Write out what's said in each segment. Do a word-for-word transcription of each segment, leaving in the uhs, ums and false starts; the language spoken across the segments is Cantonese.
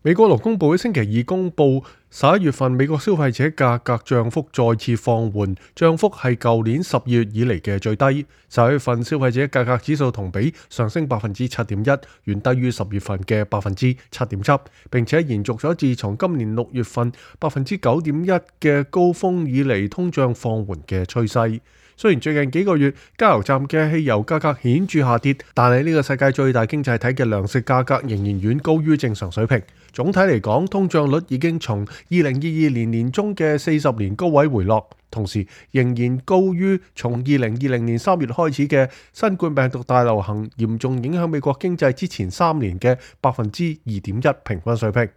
美國勞工部喺星期二公佈，十一月份美國消費者價格漲幅再次放緩，漲幅係舊年十月以嚟嘅最低。十一月份消費者價格指數同比上升百分之七點一，遠低於十月份嘅百分之七點七，並且延續咗自從今年六月份百分之九點一嘅高峰以嚟通脹放緩嘅趨勢。雖然最近幾個月加油站嘅汽油價格顯著下跌，但係呢個世界最大經濟體嘅糧食價格仍然遠高於正常水平。總體嚟講，通脹率已經從二零二二年年中嘅四十年高位回落，同時仍然高於從二零二零年三月開始嘅新冠病毒大流行嚴重影響美國經濟之前三年嘅百分之二點一平均水平。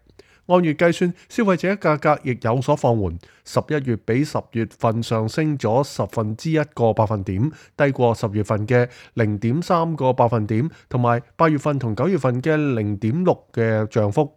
按月計算，消費者價格亦有所放緩，十一月比十月份上升咗十分之一個百分點，低過十月份嘅零點三個百分點，同埋八月份同九月份嘅零點六嘅漲幅。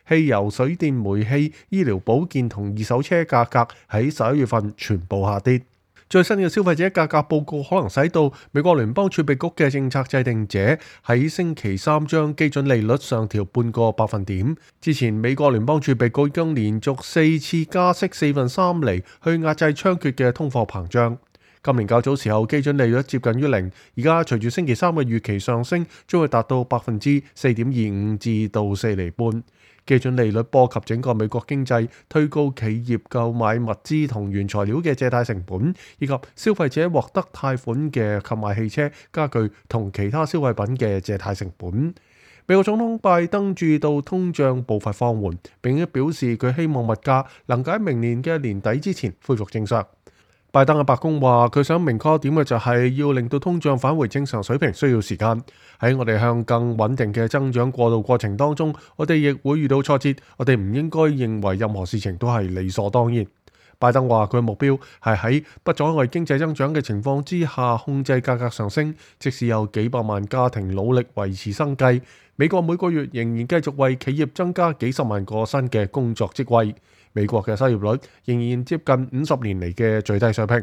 汽油、水電、煤氣、醫療保健同二手車價格喺十一月份全部下跌。最新嘅消費者價格報告可能使到美國聯邦儲備局嘅政策制定者喺星期三將基準利率上調半個百分點。之前美國聯邦儲備局已經連續四次加息四分三厘去壓制猖獗嘅通貨膨脹。今年較早時候基準利率接近於零，而家隨住星期三嘅預期上升，將會達到百分之四點二五至到四厘半。基準利率波及整個美國經濟，推高企業購買物資同原材料嘅借貸成本，以及消費者獲得貸款嘅購買汽車、家具同其他消費品嘅借貸成本。美國總統拜登注意到通脹步伐放緩，並且表示佢希望物價能夠喺明年嘅年底之前恢復正常。拜登嘅白宮話，佢想明確一點嘅就係要令到通脹返回正常水平需要時間。喺我哋向更穩定嘅增長過渡過程當中，我哋亦會遇到挫折。我哋唔應該認為任何事情都係理所當然。拜登話佢嘅目標係喺不阻礙經濟增長嘅情況之下控制價格上升，即使有幾百萬家庭努力維持生計。美國每個月仍然繼續為企業增加幾十萬個新嘅工作職位。美國嘅失業率仍然接近五十年嚟嘅最低水平。